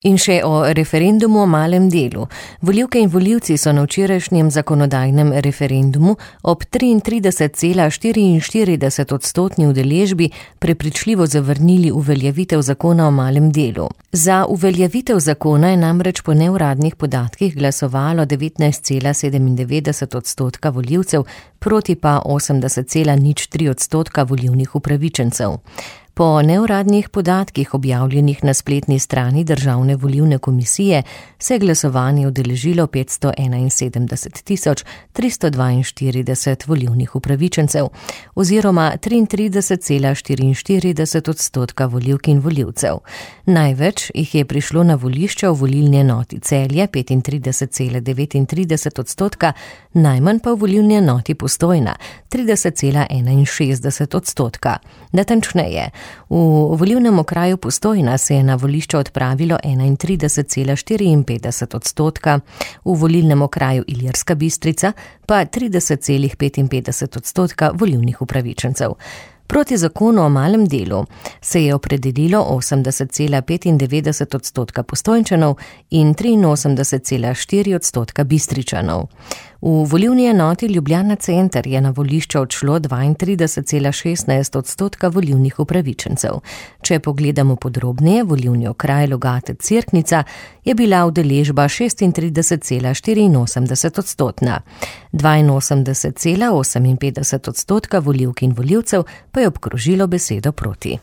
In še o referendumu o malem delu. Volivke in volivci so na včerajšnjem zakonodajnem referendumu ob 33,44% udeležbi prepričljivo zavrnili uveljavitev zakona o malem delu. Za uveljavitev zakona je namreč po neuradnih podatkih glasovalo 19,97% volivcev, proti pa 80,03% volilnih upravičencev. Po neuradnih podatkih objavljenih na spletni strani Državne volilne komisije se je glasovanje udeležilo 571.342 volilnih upravičencev oziroma 33,44% volivk in volivcev. Največ jih je prišlo na volišča v volilni enoti Celje 35,39%, najmanj pa v volilni enoti Postojna 30,61%. Natančneje, v volilnem okraju Postojna se je na volišče odpravilo 31,54%, v volilnem okraju Ilirska Bistrica pa 30,55% volilnih upravičencev. Proti zakonu o malem delu se je opredelilo 80,95% Postojnčanov in 83,4% Bistričanov. V volilni enoti Ljubljana Center je na volišče odšlo 32,16% volilnih upravičencev. Če pogledamo podrobneje, volilni okraj Logate-Cerknica je bila udeležba 36,84%. 82,58% volivk in volivcev pa je obkrožilo besedo proti.